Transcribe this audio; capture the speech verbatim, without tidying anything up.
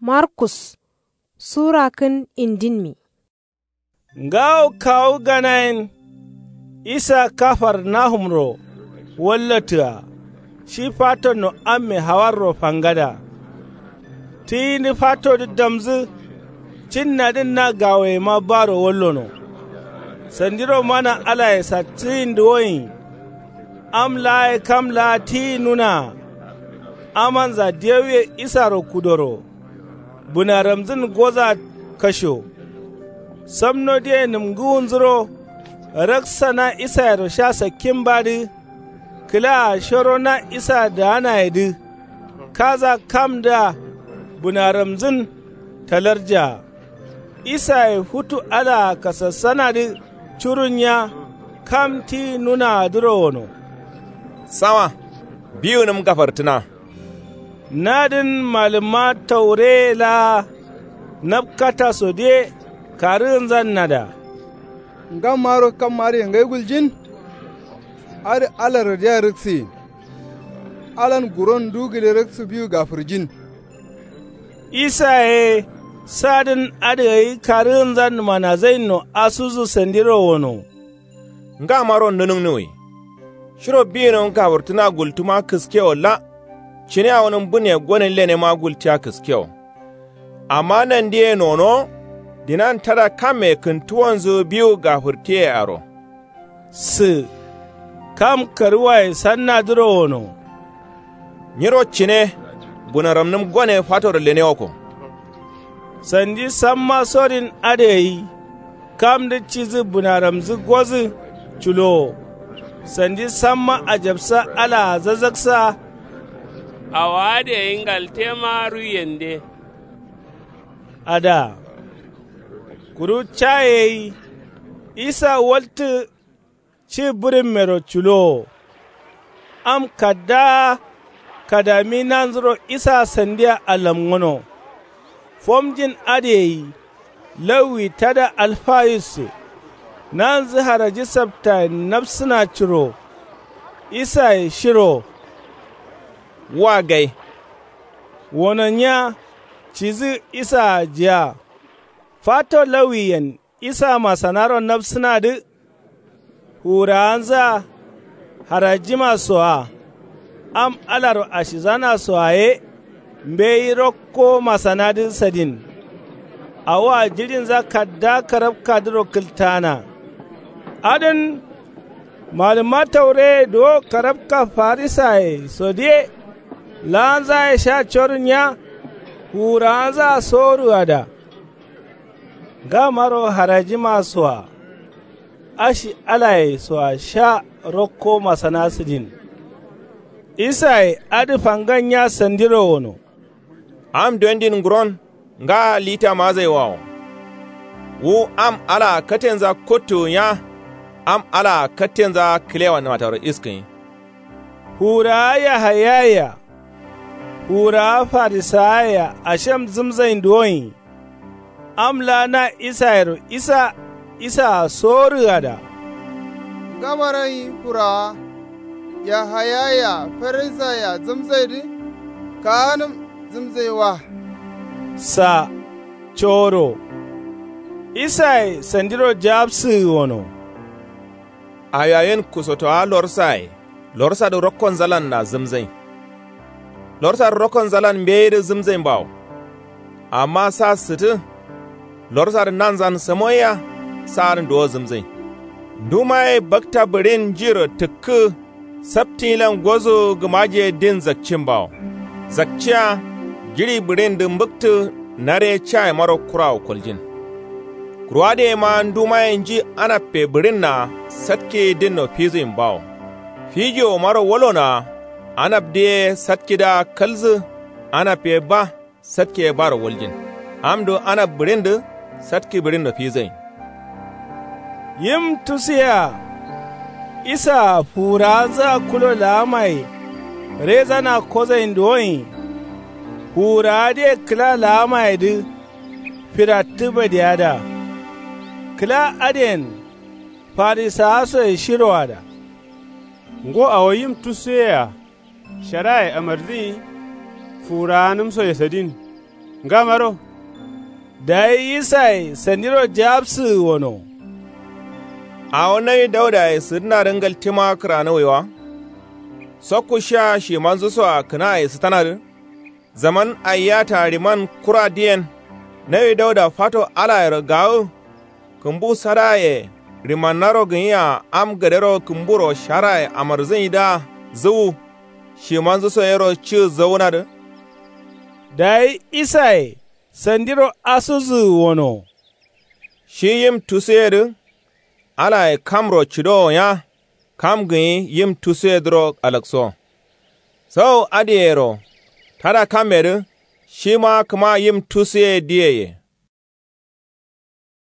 Markus sura kǝn indinmi. Ngawo kawu ganayen isa kafarnahumro wallatǝa shi fatonno amme hawarro fangada. Tiyindǝ fatodǝ damzǝ cinnadǝn na gawoyema baro wallono. Sandiro mana alaye sattǝyindǝ woyin. Am laa ye kam laa tiyi nunaa. Amanza dewuye isaro kudoro bǝnaramzǝn goza kasho. Samnodǝye nǝmgǝwunzuro raksa na isayero sha sakkimbadǝ. Kǝlaa shoro na isa daanayedǝ kaza kamdǝa bǝnaramzǝn talarjaa. Isaye futu alaa kasassanadǝ curunya kam ti nunaadǝro wono. Sawa biwunǝm gafartǝna. Nadǝn malǝmma taureye laa napkata sodǝye karǝgǝnzannada. Ngammaro kam adǝye ngai guljin. Adǝ alarrodǝa rǝksiyin. Alan guron ndu gǝle rǝksu biwu gafǝrjin. Isaye sadǝn adǝ gai karǝgǝnzan manazainno asudǝ sandiro wono. Ngamaro nǝnǝgnǝwwi. Shiro biyinǝm gafǝrtǝna gultuma kǝskewo la. Cine awonǝm bǝne gonen lenema gultiya kǝskewo. Amma nandiye nono dinan tada kamme kǝntuwonzǝ biwu gafǝrtiye aro. Sǝ kam karǝwaye sannadǝro wono. Nyiro cine bǝnaramnǝm gone fatoro lenewoko. Sandi samma sorin adǝ gai kamdǝ cidǝ bǝnaramzǝ gozǝ culowo. Sandi samma ajabsa alaa zazaksa. Awo adǝ gai ngaltema ruiyende. Ada kuru caye gai isa waltǝ. Ci bǝrǝmmero culowo. Am kaddaa kadami nanzuro isa sandia alamgǝno. Fomjin adǝ gai lawwi tada alfayusse. Nanzǝ haraji saptayen nabsǝna curo. Isaye shiro. Wa gai. Wono nya cidǝ isaa jiya. Fato lawwiyen isa masanaro nabsǝnadǝ. Fuwurawanzǝa harajima soa. Am alaro ashizana soa ye mbeyi rokko masanadǝ sadin. Awoa jiɍinza kadda karabkadǝro kǝltaana. Adǝn malǝmma taureye duwo karabka farisaye sodǝye. Laanzaye sha corǝn nya fuwurawanzǝa soworuada. Ngamaro harajima soa ashi alaye soa sha rokko masana sǝdin. Isaye adǝ fangan nya sandiro wono. Am dondin nguron ngaa lita mazaiwawo. Wu am alaa katenza kottuwunya. Am alaa katenza kǝlewa nǝmataro iskǝnyi. Fuwurawa yahayayea fuwurawa farisawayea ashem zǝmzain duwonyi. Am laa na isayero isa isaa soworǝgada. Ngamaronyi fuwurawa yahayayea farisayea zǝmzaidǝ kaanǝm zǝmzai wa. Sa coro. Isaye sandiro jawabsǝgǝ wono. Awiyawen kusotowa lorsaye lorsadǝ rokkonzalanna zǝmzain. Lorsadǝ rokkonzalan mbeyidǝ zǝmzain bawo. Amma sa sǝtǝ lorsadǝ nanzan samoiya. Saadǝn duwo zǝmzain. Ndumaye bakta bǝɍin njiro tǝkkǝ saptiyilan gozu gǝmajiye din zakcin bawo. Zakciya jiɍi bǝɍindǝ mbǝktǝ nare cayemaro kurawo koljin. Kuru adǝ yema ndumaye nji anabbe bǝɍinnaa satkiyi dinno fizuyin bawo. Fijiwomaro walonoa anabdǝ ye satkidǝa kalzǝ anabbe ba satki ye baro waljin. Amdǝ anab bǝɍindǝ satki bǝɍinno fizain. Yim tusuyea isaa fuwurawanzǝa kulo laamaye rezana kozain duwonyi. Fuwurawadǝye kǝla laamayedǝ firattǝ badiyada. Kǝla adǝyen farisawasoye shiroada. Ngo awo yim tusuyea sharaye amardǝnyi fuwurawanǝmsoye sadin. Ngamaro. Dayi isaye sandiro jawabsǝgǝ wono. Awo nawi daudaye sǝdǝnadǝ ngaltima kǝranuwwi wa? Sokku shiya shimanzu soa kǝnaye sǝtanadǝ. Zaman aiyata riman kura diyen. Nawi dauda fato alayero gawǝ. Kǝmbu sadaye rimannaro gǝnyia am gadero kǝmburo sharaye amarzǝnyidǝa zǝwu. Shimanzu so yero ci zǝwunadǝ. Dayi isaye sandiro asuzǝgǝ wono. Shi yim tusuyedǝ. Alaye kamro cidowo nya. Kam gǝnyi yim tusuyedǝro alakso. Sau adǝyero tada kammedǝ. Shima kǝma yim tusuye diyeye.